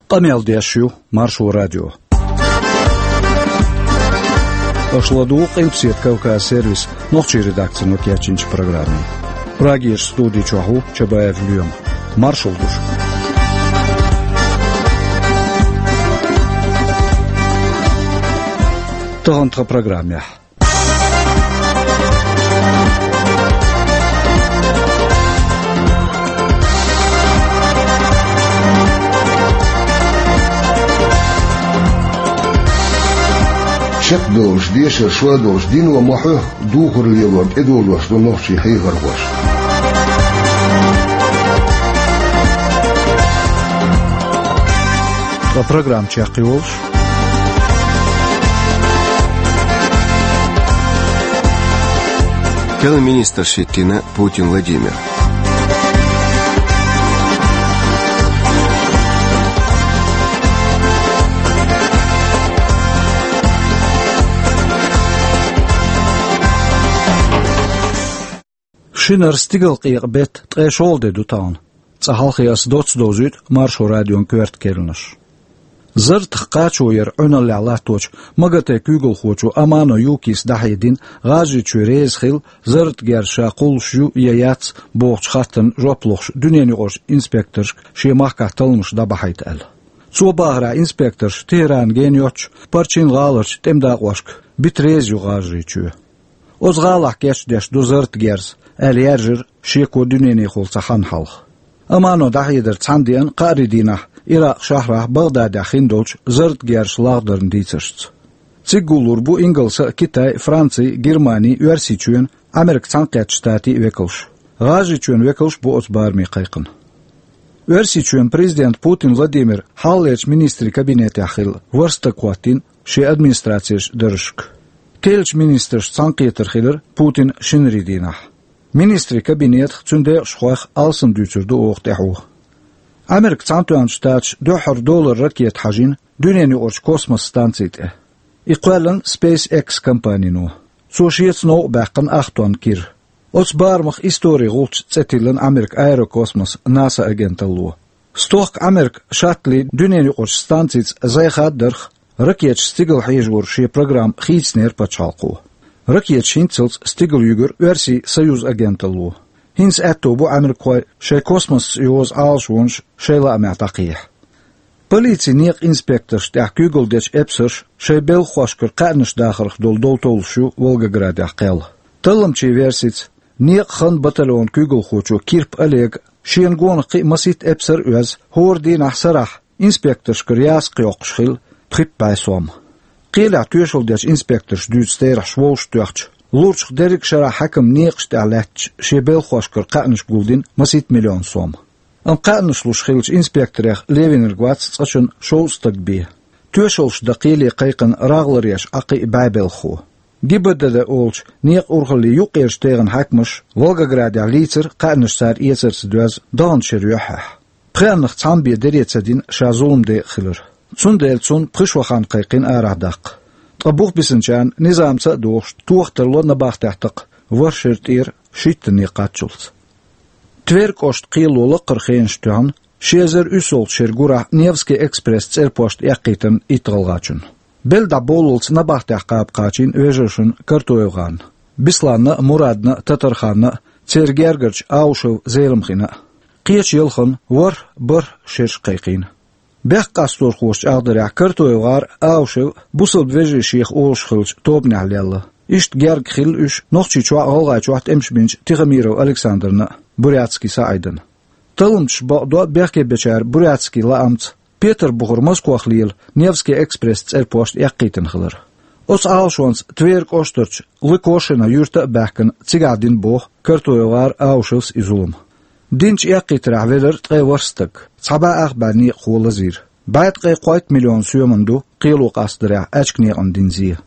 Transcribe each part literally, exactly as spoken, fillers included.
Къамел деш ю Маршо радио. Аша ладугӀу Къилбаседа Кавказ сервисан нохчийн редакцино кечйинчу программе. Прагерчу студи чохь ву Чабаев Лоьма. Маршалла ду шуьга. Тахана тхан программехь. Чекхдолуш дешар шо долуш дино ма хьо, духар лелорна тӀедожош ду нохчийн хьехархоша. Ткъа программа чекхйолуш. Керла министрш хӀиттийна Путин Владимира. Шинара стигалкъекъа беттан ткъе шолгӀа де ду тахана. Цкъа хьалхе аса доцца довзуьйту Маршо радион коьрта керланаш. Зарратах кхачо яр Ӏуьналлехь латточу МАГАТЭ куьйгалхочо Амано Юкис дӀахьедина, ГӀажарийчоь реза хилла, зарратан герз ша кхуллуш ю я яц бохучу хаттарна жоп лохуш дуьненаюкъарчу инспекторшка шен махкахь талламаш дӀабахьийта аьлла. Цо бахарехь, инспекторш Тегерана гена йоццуш Парчин гӀаларчу тӀеман дакъошка бита реза ю ГӀажарийчоь. Оцу гӀалахь кечдеш ду зарратан герз, аьлла яьржира шеко дуьненахула цхьа хан хьалха. Амано дӀахьедар цхьана деана кхаарин дийнахь Иракъан шахьарахь БагӀдадехь хиндолчу зарратан герзаш лагӀдаран дийцаршца. Цига гуллур бу Ингалсан а, Китайн а, Францин а, Германин а, Оьрсийчоьнан а, Ӏамеркан Цхьаьнакхеттачу Штатийн а векалш. ГӀажарийчоьнан векалш а бу оцу бараме кхайкхина. Оьрсийчоьнан президента Путин Владимира хьалхалерчу министрийн кабинетехь хилла ворхӀ стаг хӀоттийна шен администрацин даржашка. Керлачу министрашца цхьаьнакхетар хилира Путинан шинарин дийнахь. Министрийн кабинетах, цуьнан декъашхойх алсам дуьйцур ду оха тӀаьхьо. Ӏамеркан Цхьаьнатоьхначу Штаташа дуьххьара долара ракета хьажийна дуьненаюкъарчу космос станци тӀе. И кхоьллина SpaceX компанино. Цо шеца новкъа баьккхина ах тонн кира. Оцу барамах историн гӀулч цӀе тиллина Ӏамеркан аэрокосмос НАСА агенталло. Стохка Ӏамеркан шаттли дуьненаюкъарчу станцица зӀе хаддарх, ракеташца стигала хьежоран шен программа хийцинера пачхьалкхо. Ракеташ хӀинццалц стигала юьгура Оьрсийн Союз агенталло. ХӀинца аьтто бу Ӏамеркахойн шайн космосца йозу Ӏалашонаш шайн лаамехь дӀакхехьа. Полицин некъан инспекторшна тӀехь куьйгалла дечу эпсарша шайн белхахошкара кхаьънаш дахарх долу дов товлуш ю Волгоградехь кхел. Талламчийн версица, некъан хан батальонан куьйгалхочо Кирп Олега шена гонах кхин а масийтта эпсар а оьзна, хӀора дийнахь сарахь инспекторшкара ясакх йоккхуш хилла пхи бӀе сом. Кхелехь тоьшалла дечу инспекторша дуьйцу терахьаш вовшахтоьхча, лурчух дерриг а шарахь хьаькаман некъаш тӀехь лаьтташ шен белхахошкара кхаьънаш гулдина масийтта миллион сом. Амма кхаьънаш луш хиллачу инспекторех левинарг вац цкъачунна шовзткъа стаг бен. Тоьшаллаш дан кхеле кхайкхина рагӀларъеш Ӏа кхин а бӀе белхахо. ГИБДД олучу некъан урхаллин юккъерчу тайпанан хьаькамаша Волгоградехь лийцира кхаьънаш цара эцарца доьзна даханчу шеран юьххьехь. Пхеаннах цхьамма бен дера ца дина ша зулам декъа хилар. Цундела цунна пхи шо хан кхайкхина арахь даккха. Ткъа бух бисинчарна низамца а догӀуш, тоха тарло набахтехь такха ворхӀ шеран тӀера шийтта некъ кхаччалц. Тверь кӀоштан кхело лаккхара хенаш тоьхна ши эзар уьссалгӀачу шеран гурахь Невский экспресс цӀерпошт эккхийтина итт гӀалгӀачунна. Белла дӀа бовллалц набахтехь кхаба кхачийна вежаршна КартоевгӀарна, Бесланна а, Мурадна а, Татарханна а, церан гергарчу Аушев Зеламхина а. Кхечу ялханна ворхӀ, бархӀ шераш кхайкхийна. Бехк къасторхоша чӀагӀдарехь, КартоевгӀар а, Аушев а бусалба вежарий шех олуш хиллачу тобанехь лелла. Иштта герга хилла уьш Нохчийчохь а, ГӀалгӀайчохь а тӀемаш бинчу Тихомиров Александрна а, Бурятский СаӀидна а. Талламчаша бакъдо бехке бечара Бурятский лаамца Петарбухара Москох лела Невский экспресс цӀерпошт эккхийтина хилар. Оцу Ӏалашонца Тверь кӀоштарчу Лыкошино юьрта а баьхкина, цигахь дина боху КартоевгӀар а, Аушевс а и зулам. Динчу эккхийтарехь велира ткъе ворхӀ стаг, цхьа бӀе ах бӀе некъахо лазийра. БӀе ткъе кхойтта миллион соьман ду кхело къастадарехь аьчка некъана дина зе.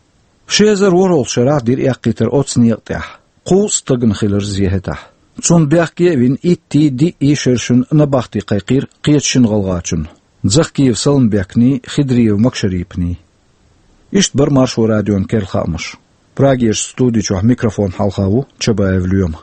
Ши эзар ворхӀалгӀачу шарахь дира эккхийтар оцу некъа тӀехь. Кхузткъа стагана хилира зе хӀетахь. Цунна бехке а вина, иттий, диъий шерашна набахти кхайкхийра кхечу шина гӀалгӀачунна: Захкиев Саламбекний, Хидриев Макшарипний. Иштта бара Маршо радион керла хаамаш. Прагерчу студи чохь микрофон хьалха ву Чабаев Лоьма.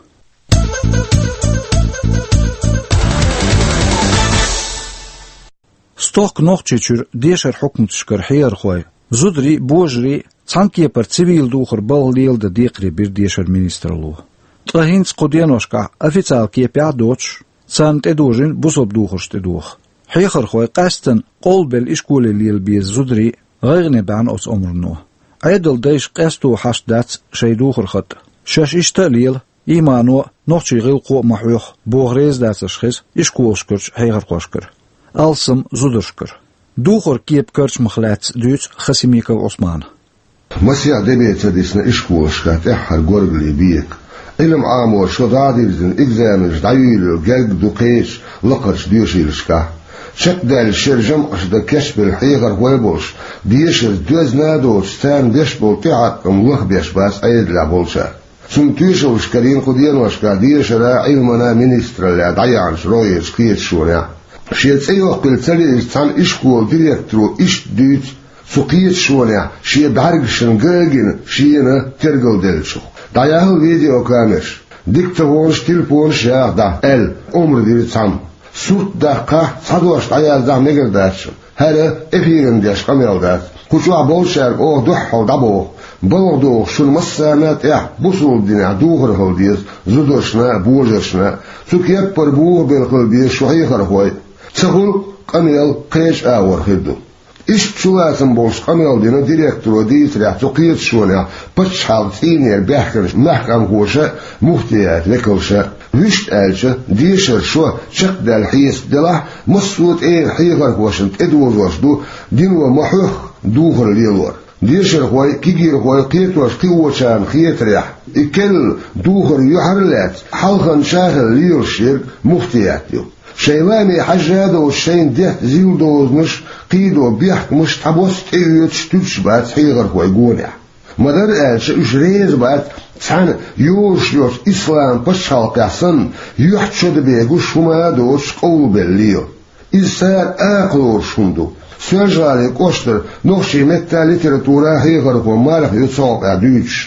Стохка Нохчийчуьра дешара хьукматашкара хьехархой, зударий а, божарий а цхьана кепара цивил духар балха леладан декхарийбира дешара министралло. Ткъа хӀинца кху деношкахь официал кепехь а доцуш, царна тӀедожийна бусалба духарш тӀедоха. Хьехархой къаьсттина къовлабелла ишколе лела беза зударий а гӀайгӀане баьхьна оцу омрано. Ӏедалдайша къесто хьашт дац шайн духар хатӀа. Шаьш иштта а лела, иймано а, нохчийн гӀиллакхо а ма хьоьху, боху реза дацарш хеза ишколашкарчу хьехархошкара. Алсам зударшкара. Духар кепа карчамах лаьцна дуьйцу Хасимиков Ӏусмана. Масех де бен ца дисна ишколашкахь тӀаьххьара горгали бека. Ӏилма Ӏаморша шо дӀа а дирзина, экзаменаш дӀайуьйлур герга ду кхечу лакхарчу доьшийлашкахь. Чекхдаьлла шеран жамӀаш дан кечбелла хьехархой а болуш, дешарца доьзна а доцуш, царна беш болу тӀеӀаткъам лахбеш бац Ӏедалехь болчара. Цунна тоьшаллаш карийна кху деношкахь дешара а, Ӏилмана а министраллехь дӀаяьхьначу рогӀерчу кхеташонехь. Шен цӀе йоккхийла ца лиъначу цхьана ишколан директоро иштта дуьйцу цу кхеташонехь шен бӀаьргашна ган а гина шена тергалделлачух. ДӀаяьхьла видеокамераш, диктофонаш, телефонаш яха дӀа, аьлла, омра дира цхьамма. Сурт даккхахь, цхьа дош дӀаяздахь мегар дац шуна. ХӀара эфиран деш къамел дац. Кху чохь болчаьрга оха дуьххьал дӀабоху: балха догӀуш шуна массарна а тӀехь бусалба динехь духар хила деза зударшна а, божаршна а. Цу кеппара бухабелла хила беза шу хьехархой а. Ца хуьлу къамел кхечу агӀор хир ду. Иштта чулацам болуш къамел дина директоро дийцарехь, цу кхеташонехь пачхьалкхан цӀийнера баьхкинчу маьхкамхоша а, муфтият векалша а. Вуьшта аьлча, дешара шо чекхдаьлла хьесап делахь, массо а тӀера хьехархошна тӀедожош ду дино ма-хьоьхху духар лелор. Дешархой, кегийрхой, кхетош кхиочарна хетарехь, и керла духар юьхьар а лаьцна, хьалханча а хилла лелаш ерг муфтият ю. Шайн лааме хьажжа а доцуш, шайна детта зил дозанаш, кхийдо бехкамаш цхьабосса тӀеоьцуш туьдуш бац хьехархой гонехь. Ма-дарра аьлча, уьш реза бац цхьана йозуш йолчу ислам пачхьалкхехь санна, юьхь-чода бегуш хӀума а доцуш къовлабелла лела. Иза цара акха лоруш хӀума ду. Соьлжа-ГӀалин кӀоштара нохчийн меттан а, литературан а хьехархо Марха ю цу хьокъехь дуьйцуш.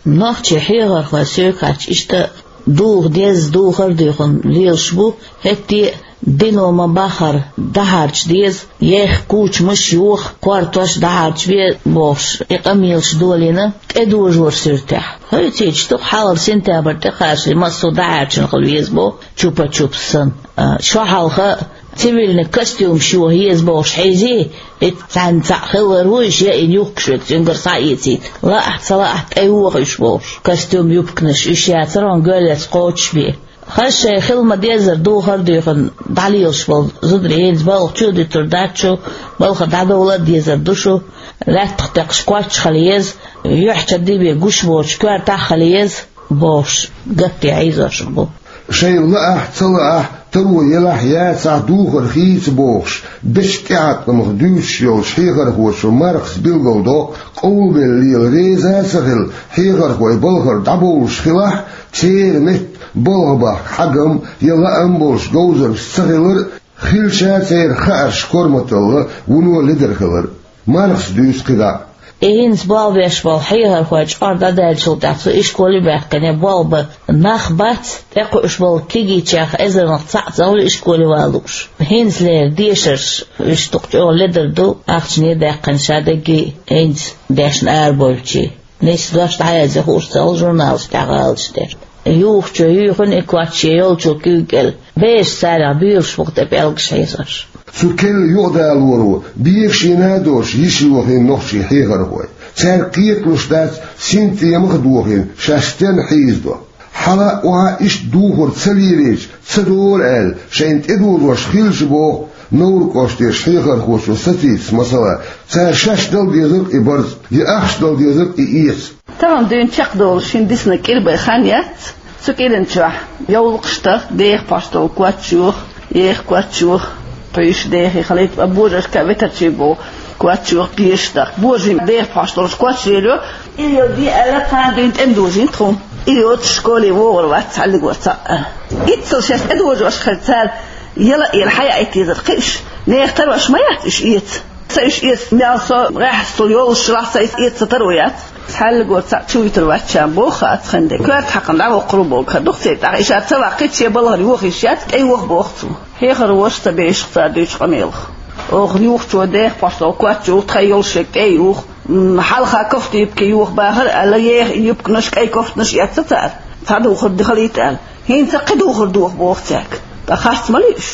Нохчийн хьехархой соьга хаьттича, иштта а духа деза, духар а дуьйхина лелаш бу, хӀетте а дино ма-баххара дӀахьарча деза, еха кучамаш а йоха, кортош а дӀахьарчабе бохуш, и къамелаш долийна тӀедожоран суьртехь. Хьуьйцийча, дукха хьалхара сентябрь тӀекхачале массо а дӀахьаьрчина хила веза боху, чупа-чупс санна. А, шо хьалха цивильный костюмаш йоха еза бохуш хьийзий, и цхьаьнца цхьаъ хилар вуй, шен и юхкуш верг цуьнгара схьаэцийта. Лаахь а, ца лаахь а, тӀейоха уьш бохуш. Костюм, юбканаш, уьш яцара хьуна гоьллаца кхочушбе. Хаза шайн хила ма-деззара духар а дуьйхина дӀалелаш болу зударий хӀинца балха чу а дуьтур дац шу, балхара дӀадовла а дезар ду шу, лаьттах текхаш коч а хила еза, юьхь-чода бен гуш боцуш коьртахь а хила еза бохуш, гатде хьийзош бу. Шайна лаахь а, ца лаахь а, таро елахь а, яцахь а духар хийца бохуш, бечу тӀеӀаткъамах дуьйцуш йолчу хьехархочо Мархас билгалдоккху, къовлабелла лела реза а ца хилла, хьехархой балхара дӀабовлуш хилахь а, церан метта балха бахка хьагам я лаам болуш говзармаш ца хилар а, хилча а церан хаарш корматалла вуно ледара хилар а. Мархас дуьйцу кхидӀа а. И хӀинца болх беш болу хьехархой чкъор дӀадаьллачул тӀаьхьа цу ишколе а баьхкина болх бан нах бац, тӀекхуьуш болу кегийчех эзарнах цхьаъ ца хуьлу ишколе ван лууш. ХӀинцалера дешарш уьш дукха чӀогӀа ледара ду, ахчане а даьккхина ша дерриге а, хӀинца дешна арабевлчий. Нийса дош дӀаязъе хууш ца хуьлу журналашкахь гӀалаташ деш. Юхучо юьйхина и коч шен йолчу куьйга кӀел. Бераш царах буьйлуш бу-кх тӀе пӀелгаш хьийзош. Цу керла юкъадалоро бегашийна а доцуш йиш йохийна нохчийн хьехархой. Цаьрга кхеталуш дац синтемах а дохийна шаьш стенна хьийзадо. Хьала а, охьа а иштта духар ца лелийча, ца долу аьлла, шайна тӀедожош хилча боху Невран кӀоштарчу хьехархочо сацийта, масала, цара шаьш дала дезарг и барз, я ахча дала дезарг и эца. Тахана дуьйна чекхдолуш шина дисна кӀира бен хан яц. Цу кӀиран чохь йовлакхаш тах, деха пхьош долу коч йоха, еха коч йоха, пхьуьйш дехий хилийта, ткъа божаршка а ветарчий боху коч йоха, пхьуьйш дахка. Божарийн деха пхьош долуш коч лелайо. И йо де аьлла, кхана дуьйна тӀеман дужийна тхуна. И йоцуш школе вогӀур вац цхьаллигор цхьаъ. Иццал шаьш тӀедожош хир цара, яла а эр хьаяийта дезар кхин уьш. Нехан тарош ма яц уьш эца. Ца уьш эца, мел со гӀехьсал йолуш лахь, ца эца ца таро яц. Цхьаллигор цхьаъ чу вуьтур вац ша боху, ацхьан де коьрта хьакхана дӀавоккхур бу боху, дух церан тӀаккха. И ша ца ваккхийча шен балхара йохийша яц, тӀейоха боху цо. Хьехархоша ца бешах цара дуьйцу къамелах. Оха юхачо дехпахьсо коч чу тхай йолуш шег тӀе а юха, м, хьалха кофта юбка юха бахара аьлла, еха и юбканаш, кӀай кофтанаш эцна цара, цхьа духар дихалийта аьлла. ХӀинца кхин духар доха боху цаьрга. Ткъа харц ма луьйш.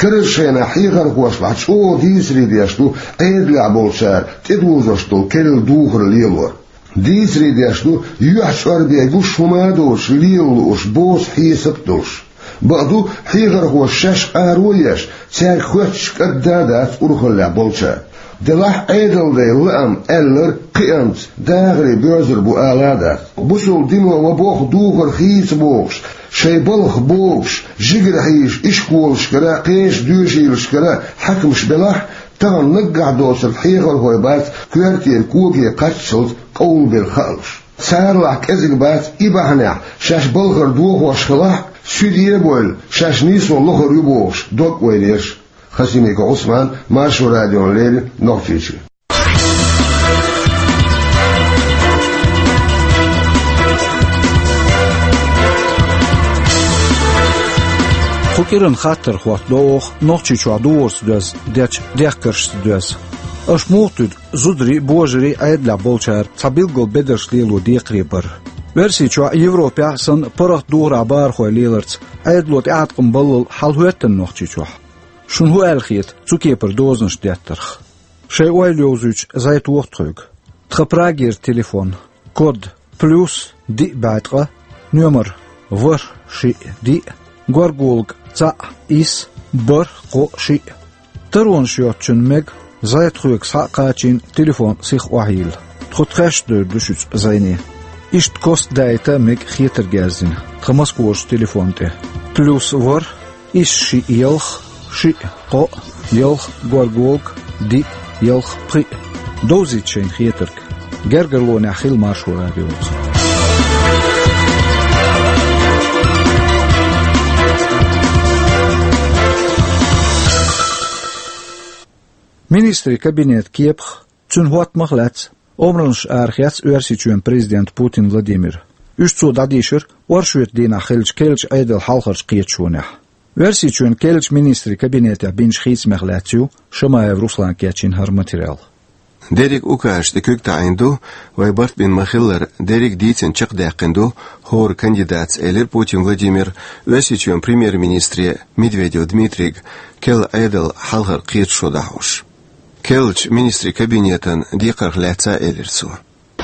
Карарчу шайна хьехархошна чӀогӀа дийцаре деш ду Ӏедалехь болчара тӀедузуш долу керла духар лелор. Дийцаре деш ду, юьхь чӀорбе гуш хӀума а доцуш, лела лууш, боцу хьесап а долуш. Бакъду, хьехархоша шаьш къаро а еш, цаьрга хоьттуш кӀадда а дац урхаллехь болчара. Делахь Ӏедалан лаам аьлларг кхиамца дахаре боьрзур бу ала а дац. Бусалба дино ва боху духар хийца бохуш, шайн балхах богуш, жигара хьийзаш ишколашкара, кхечу доьшийлашкара хьаькамаш белахь, тахана наггахь доцург хьехархой бац коьртера коге кхаччалц къовлабелла хаалуш. Царалахь кӀезиг бац и бахьанехь, шаьш балхара дохош хилахь а, суьде а бевлла, шаьш нийсо лохур ю бохуш, дог ойла еш. Хасимиков Ӏусман, Маршо радиона леррина, Нохчийчоь. Кху кӀиран хаттар хӀоттадо оха Нохчийчохь духарца доьзна дечу дехкаршца доьзна. Аша муха туьду зударий а, божарий а Ӏедалехь болчара цхьа билггал бедарш лело декхаре бар? Оьрсийчохь а, Европехь а санна, паргӀат духарехь бахархой леларца Ӏедало тӀеӀаткъам баллал хьал хӀоьттина Нохчийчохь? Шуна хӀун аьлла хета цу кепара дозанаш деттарх? Шайн ойла йовзуьйтуш зӀе тоха тхоьга. Тхан Прагера телефон. Код: плюс диъ бӀе ткъа, номер: ворхӀ шиъ диъ, горгулг цхьаъ исс, бархӀ кхоъ шиъ. Таронаш йоцучунна мега зӀе тхоьга схьа а кхачийна телефон сиха охьайилла. Тхо тхаьшта девр ду шуьца зӀене. Иштта костдаийта мега хетарг яздина тхан Москварчу телефон тӀе: плюс ворхӀ, исс шиъ ялх, шиъ кхоъ, ялх горгулг, диъ ялх пхиъ. Довзийта шайна хетарг. Гергарлонехь хила Маршо радиоца. Министрийн кабинетан кепах, цуьнан хӀоттамах лаьцна омранаш арахецна Оьрсийчоьнан президента Путин Владимира. Уьш цо дӀадийшира оршотан дийнахь хиллачу керлачу Ӏедалан хьалхарчу кхеташонехь. Оьрсийчоьнан керлачу министрийн кабинетехь бинчу хийцамех лаьцна ю Шамаев Руслана кечйина хӀара материал. Дерриг укажаш тӀе куьг таӀийна ду, вай барт бина ма-хиллара, дерриг дийцина чекхдаьккхина ду хӀора кандидатца, элира Путин Владимира Оьрсийчоьнан премьер-министре Медведев Дмитрийга керла Ӏедалан хьалхара кхеташо дӀахьош. Керлачу министрийн кабинетан декхарх лаьцна а элира цо.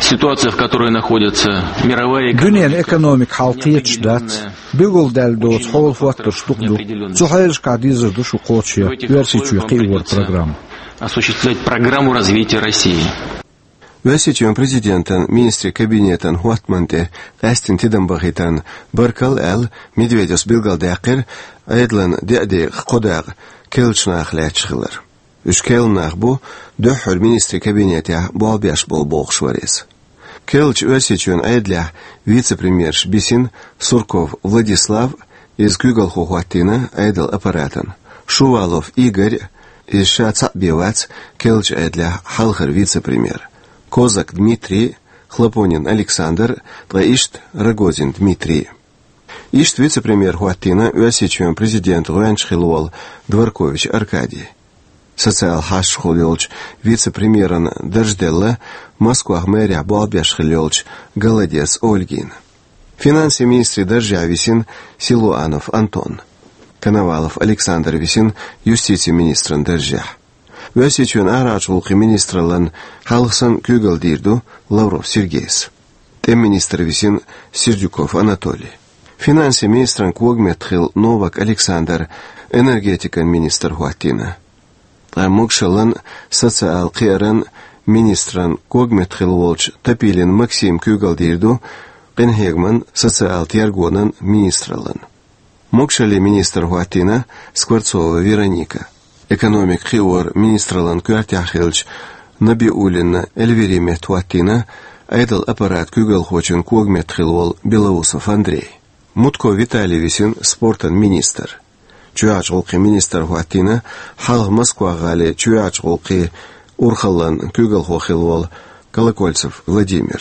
Ситуация, в которой находится мировая экономика, Дуьненан экономика хьал кхеташ дац. Билгалдаьлла доцу хьолан хӀоттарш дукха ду. Цу хьелашкахь дезар ду шу кхочушъян Оьрсийчоь кхиоран программа. Осуществлять программу развития России. Оьрсийчоьнан президентан министрийн кабинетан хӀоттамна тӀе къаьсттина тидам бахийтарна баркалла аьлла, Медведевс билгалдаьккхира Ӏедалан деа декъах кхо дакъа керлачу наха лаьтташ хилар. Уьш керла нах бу, дуьххьара министрийн кабинетехь болх беш болу бохуш вара иза. Керлачу Оьрсийчоьнан Ӏедалехь вице-премьерш бисина Сурков Владислав, иза куьйгалхо хӀоттийна Ӏедалан аппаратан, Шувалов Игорь, иза ша цхьаъ бен вац керлачу Ӏедалехь хьалхара вице-премьер, Козак Дмитрий, Хлопонин Александр, ткъа иштта Рогозин Дмитрий. Иштта вице-премьер хӀоттийна Оьрсийчоьнан президентан гӀоьнча хилла волу Дворкович Аркадий. Социал хьашташхула йолчу вице-премьеран дарж делла Москвахь мэрехь болх беш хилла йолчу Голодец Ольгина. Финансийн министрийн даржехь висина Силуанов Антон. Коновалов Александр висина юстицийн министран даржехь. Оьрсийчоьнан арахьарчу гӀуллакхийн министраллан хьалха санна куьйгалла дийр ду Лавров Сергейс. ТӀеман министр висина Сердюков Анатолий. Финансийн министран когаметтахилла Новак Александр энергетикан министр хӀоттийна. Ткъа могушаллан, социал кхиаран министран когаметтахилла волчу Топилин Максима куьйгалла дийр ду къинхьегаман, социал тергонан министраллан. Могушаллин министр хӀоттийна Скворцова Вероника. Экономикан кхиоран министраллан коьртехь хиллачу Набиуллина Эльвири метта хӀоттийна Ӏедалан аппарат куьйгалхочун когаметтахилла волу Белоусов Андрей. Мутко Виталий висина спортан министр. Чоьхьарчу гӀуллакхийн министр хӀоттийна хьалха Москва-гӀалин чоьхьарчу гӀуллакхийн урхаллан куьйгалхо хилла волу Колокольцев Владимир.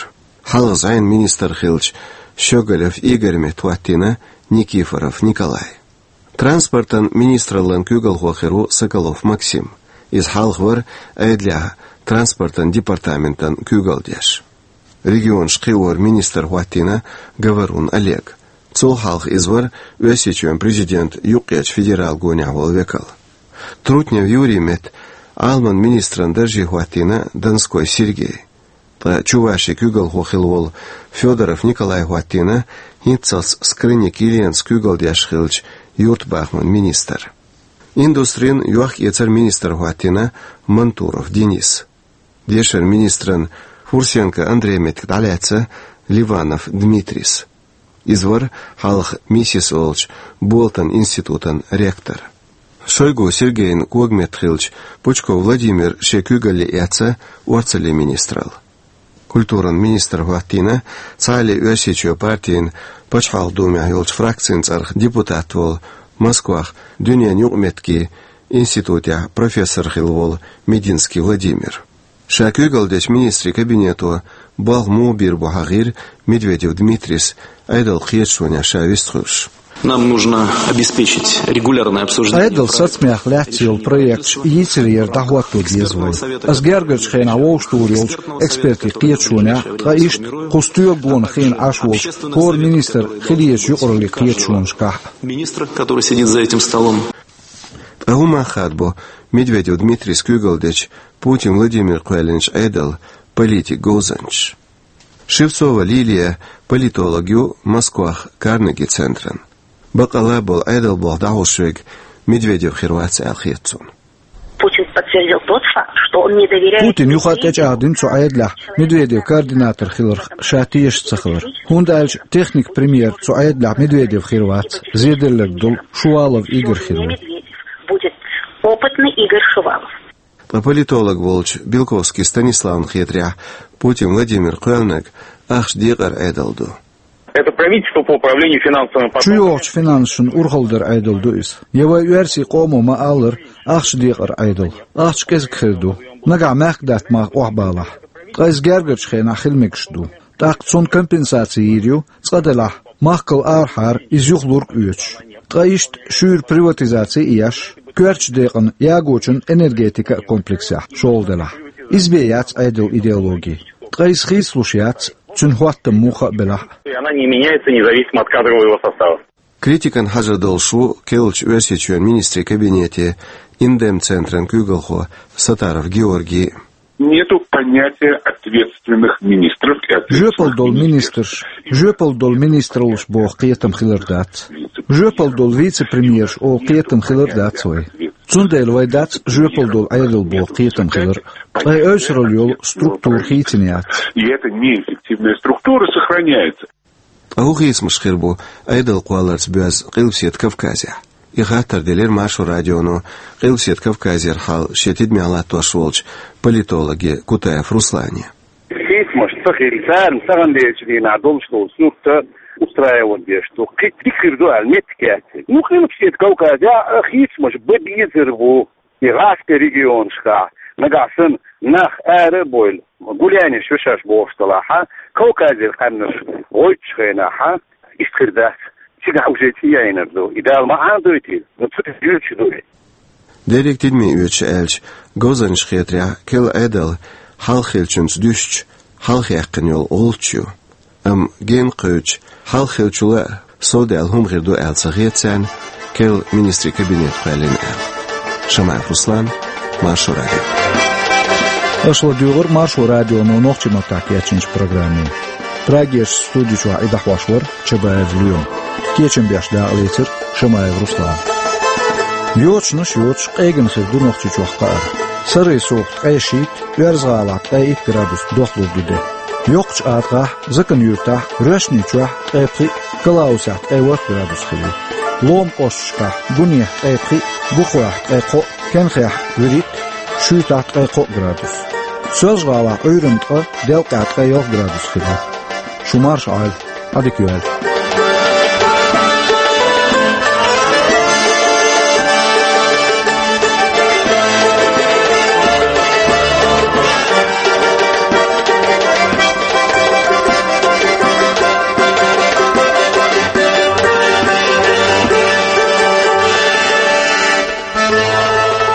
Хьалха зӀенан министр хиллачу Щеголев Игорь метта хӀоттийна Никифоров Николай. Транспортан министраллан куьйгалхо хир ву Соколов Максим. Иза хьалха вара Ӏедалехь транспортан департаментан куьйгалдеш. Регионаш кхиоран министр хӀоттийна Говорун Олег. Цул хьалха иза вара Оьрсийчоьнан президентан юккъерчу федералан гонехь волу векал. Трутнев Юрий метта Ӏаламан министран дарже хӀоттийна Донской Сергей. Ткъа Чувашин куьйгалхо хилла волу Федоров Николай хӀоттийна хӀинццалц Скрынник Еленас куьйгалдеш хиллачу юьртабахаман министр. Индустрин, йохк-эцаран министр хӀоттийна Мантуров Денис. Дешаран министран Фурсенко Андрей меттиг дӀалаьцна Ливанов Дмитрис. Иза вара хьалха МИСИС олучу Болатан институтан ректор. Шойгу Сергейн когаметта хиллачу Пучков Владимир шен куьйгалле эцна орцаллин министралла. Культуран министр хӀоттийна Цхьааллин Оьрсийчоь партин Пачхьалкхан Думехь йолчу фракцин цӀарах депутат волу, Москвахь дуьненан юкъаметтигийн институтехь профессор хилла волу Мединский Владимир. Ша куьйгалдечу министрийн кабинето болх муха бийр бу хьахийра Медведев Дмитрис, Ӏедалан кхеташонехь ша вистхуьлуш. Нам нужно обеспечить регулярное обсуждение. Ӏедалан сацамех лаьцна йолу проекташ йийцарера дӀахӀотто деза вай. Ас гергарчу хенахь вовшахтухур йолчу экспертийн кхеташонехь, ткъа иштта кху стоьла гонах хиъна Ӏаш волчу хӀора министран хилла езачу юкъараллин кхеташонашкахь. Министр, который сидит за этим столом. Ткъа хӀун мах хадабо Медведев Дмитрис куьйгалдечу Путин Владимира кхоьллинчу Ӏедалан политикан говзанчаша? Шевцова Лилия политолог ю Москвахь Карнеги центран. Бакъалла болу Ӏедалан болх дӀахьош верг Медведев хир вац аьлла хета цунна. Путин подтвердил тот факт, что он не доверяет Путина юха тӀечӀагӀдина цу Ӏедалехь Медведев координатор хиларх ша тешаш ца хилар. ХӀунда аьлча техник премьер цу Ӏедалехь Медведев хир вац, зеделларг долу Шувалов Игорь хир ву. Медведев будет опытный Игорь Шувалов. Ткъа политолог волчу Белковский Станиславна хетарехь, Путин Владимира кхоьллинарг ахча декъаран Ӏедал ду. Это правительство по управлению финансовыми потоками. Чу йогӀучу финансашна урхаллин Ӏедал ду иза. Я вай оьрсийн къомо ма-аллара, ахча декъаран Ӏедал. Ахча кӀезиг хир ду. Нагахь мехкдаьтта мах охьабалахь. Ткъа иза гергарчу хенахь хила мегаш ду. ТӀаккха цунна компенсаци йийр ю, цкъа делахь, махкал арахьара иза юхалург а оьцуш. Ткъа иштта шуьйра приватизаци а еш, коьртачу декъана ягочун энергетика а комплексехь шолгӀа делахь. Иза бен яц Ӏедалан идеологи. Ткъа иза хийцалуш яц, цуьнан хӀоттам муха а белахь. И она не меняется независимо от кадрового состава. Критикана хьажар долуш ву керлачу Оьрсийчоьнан министрийн кабинете Индем центран куьйгалхо Сатаров Георгий. Нету понятия ответственных министров и ответственных... Жоьпалла долу министрш, жоьпалла долу министраллаш боху кхетам хилар дац. Жоьпалла долу вице-премьерш олу кхетам хилар дац вай. Цундела вай дац жоьпалла долу Ӏедал боху кхетам хилар. Ткъа и ойсуралла йолу структура хийцина яц. И эта неэффективная структура сохраняется. Ткъа хӀун хийцамаш хир бу Ӏедал кхолларца боьзна Къилбаседа Кавказехь? И хаттар делира Маршо радионо Къилбаседа Кавказера хьал шен тидамехь латтош волчу политологе Кутаев Руслане. Хийцамаш ца хилла, царна тахана дерригачу дийнахь долуш долу сурт устраивать деш ду. Кхин дика хир ду аьлла меттиг яц. Ну, Къилбаседа Кавказехь а хийцамаш бан безар бу. И гӀазкхийн регионашкахь нагахь санна нах ара а бовла, гулянеш ю шаьш бохуш делахь а, Кавказера къаьмнаш гӀойтучу хенахь а, иштта хир дац. Цигахь уже цӀе яйнар ду. И Дала ма Ӏанадойтийла, но цу тӀе дуьйцуш ду и. Дерриг тидаме оьцуш аьлча, говзанчаша хетарехь, керла Ӏедал хьалха хиллачуьнца дуьстича, хьалха яьккхина йолу гӀулч ю. Амма генна кхевдича, хьалха хиллачул а совдаьлла хӀума хир ду аьлла ца хета царна, керла министрийн кабинет кхоьллина аьлла. Шамаев Руслан, Маршо радио. Аша ладуьйгӀира Маршо радионо нохчийн маттахь кечйинчу программе. Прагерчу студи чохь и дӀахьош вара Чабаев Лоьма. Кечам беш дакъалецира Шамаев Руслана. Йочанаш йоцуш къегина хир ду Нохчийчохь кхаара. Сарай-сов ткъе шийтта, ОьрзгӀалахь ткъе итт градус дохлур ду де. Йоккхачу АтагӀахь, Закан-Юьртахь, Роьшничохь ткъе пхиъ, Калаусехь ткъе ворхӀ градус хир ю. Лома кӀошташкахь Гунехь ткъе пхиъ, Бухойхь ткъе кхоъ, Кенхехь вуьрхӀитта, Шуьйтахь ткъе кхоъ градус. СоьлжгӀалахь Ӏуьйранна ткъа, Делкъехь ткъе ялх градус хир ю. Шу марша Ӏойла, Ӏадика йойла.